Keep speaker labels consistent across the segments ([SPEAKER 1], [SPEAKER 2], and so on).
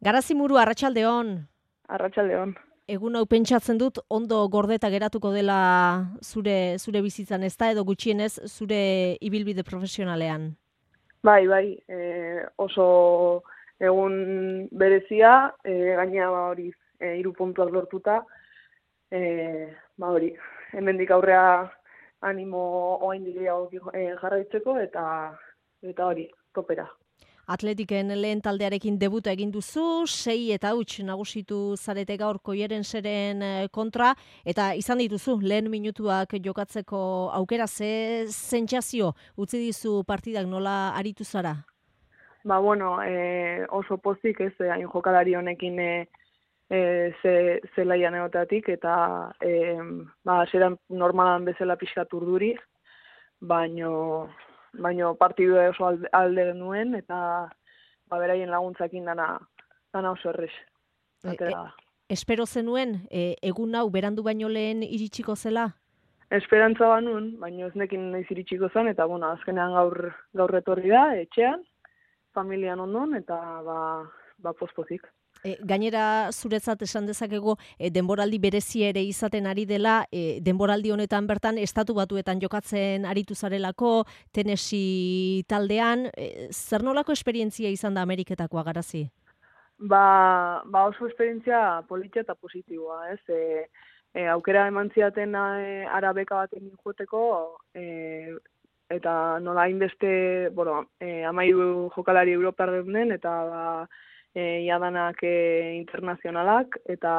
[SPEAKER 1] Garazimuru, arratsaldeon.
[SPEAKER 2] Arratsaldeon.
[SPEAKER 1] Egun hau pentsatzen dut ondo gordeta geratuko dela zure bizitzan, ezta edo gutxienez zure ibilbide profesionalean.
[SPEAKER 2] Bai, oso egun berezia, gaina hori 3 puntuak lortuta, hori, hemendik aurrea animo oraindik gehiago jarraitzeko eta hori, topera.
[SPEAKER 1] Atletiken lehen taldearekin debuta egin duzu, 6-0 nagusitu zarete gaur Koierenseren kontra, eta izan dituzu lehen minutuak jokatzeko aukera, ze sentsazio utzi dizu partidak, nola aritu zara?
[SPEAKER 2] Oso pozik ez, hain jokalari honekin zelaian egoteatik, eta hasieran normalan bezala pixkat urduri, baino partidua oso alde genuen, eta beraien laguntzakin dana oso errez.
[SPEAKER 1] Espero zenuen, egun hau berandu baino lehen iritsiko zela?
[SPEAKER 2] Esperantza banun, baino ez nekin noiz iritsiko zen, eta azkenean gaur etorri da, etxean, familian ondon, eta pospozik.
[SPEAKER 1] Gainera zuretzat esan dezakegu denboraldi berezi ere izaten ari dela, denboraldi honetan bertan Estatu Batuetan jokatzen aritu zarelako, Tennessee taldean, zer nolako esperientzia izan da Ameriketakoa, Garazi?
[SPEAKER 2] Oso esperientzia politia eta positiboa, ez? Aukera eman ziaten arabeka baten joteko, eta nola hainbeste, 13 jokalari europar den, eta iadanak internazionalak, eta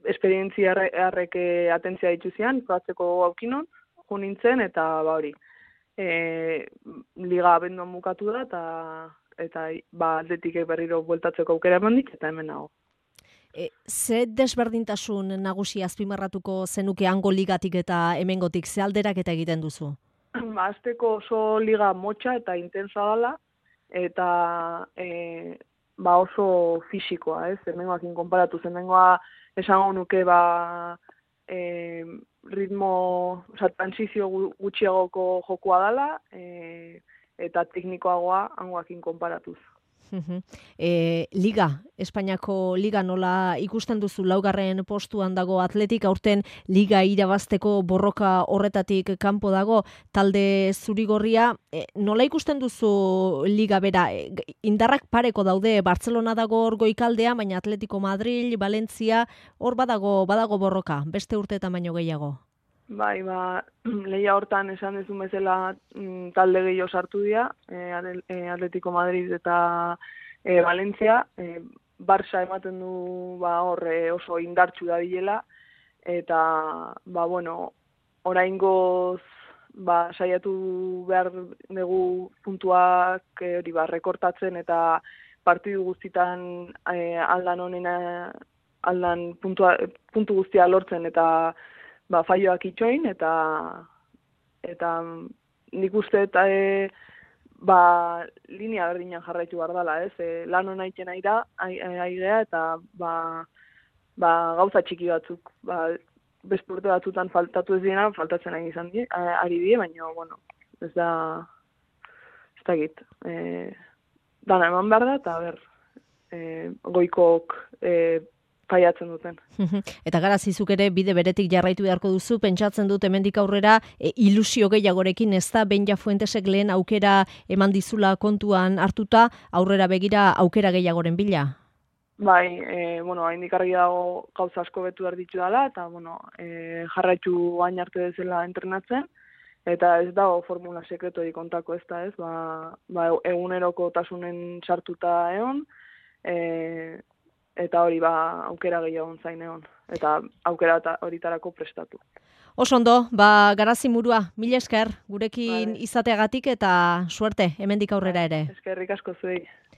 [SPEAKER 2] esperientzia harrek atentzia dituzian, probatzeko aukinon, jo nintzen, eta hori, liga abenduan bukatu da, eta atletikek berriro bueltatzeko aukera emandik, eta hemen nago.
[SPEAKER 1] Ze desberdintasun nagusi azpimarratuko zenuke hango ligatik eta hemengotik, ze alderaketa egiten duzu?
[SPEAKER 2] Azteko oso liga motxa eta intensa dela, eta oso fisikoa, ez? Hemengoakin konparatu, hemengoa esango nuke transizio gutxiagoko jokoa dela, eta teknikoagoa hangoakin konparatuz.
[SPEAKER 1] Liga, Espainiako liga nola ikusten duzu? 4. postuan dago Atletik, aurten liga irabazteko borroka horretatik kanpo dago talde zurigorria. Nola ikusten duzu liga bera? Indarrak pareko daude, Bartzelona dago hor goikaldean, baina Atletico Madrid, Valencia, hor badago borroka, beste urteetan baino gehiago.
[SPEAKER 2] Lehia hortan esan dezun bezala talde gehiago sartu dira, Atletico Madrid eta Valencia, Barça ematen du hor oso indartsu da bilela, eta oraingoz saiatu behar dugu puntuak rekortatzen, eta partidu guztitan aldan puntu guztia lortzen, eta faioak itxoin, eta nik uste linea berdinan jarraitu behar dela, ez? Lan hona egiten aigea, eta gauza txiki batzuk, beste urte batzutan faltatu ez diena, faltatzen ari die, baina, ez dakit. Dana eman behar da, eta goikok faiatzen duten.
[SPEAKER 1] Eta Garazizuk ere bide beretik jarraitu beharko duzu, pentsatzen dut hemendik aurrera ilusio gehiagorekin, ez da Benja Fuentesek lehen aukera eman dizula kontuan hartuta, aurrera begira aukera gehiagoren bila?
[SPEAKER 2] Haindik argi dago gauza asko betu behar ditu dela, eta jarraitu gain arte bezala entrenatzen, eta ez dago formula sekretori kontako ez da, ez? Eguneroko tasunen sartuta egon, eta hori aukera gehiago zain egon, eta aukera horitarako prestatu.
[SPEAKER 1] Oso ondo, Garazimurua, mila esker gurekin izateagatik, eta suerte hemendik aurrera ere.
[SPEAKER 2] Eskerrik asko zuei.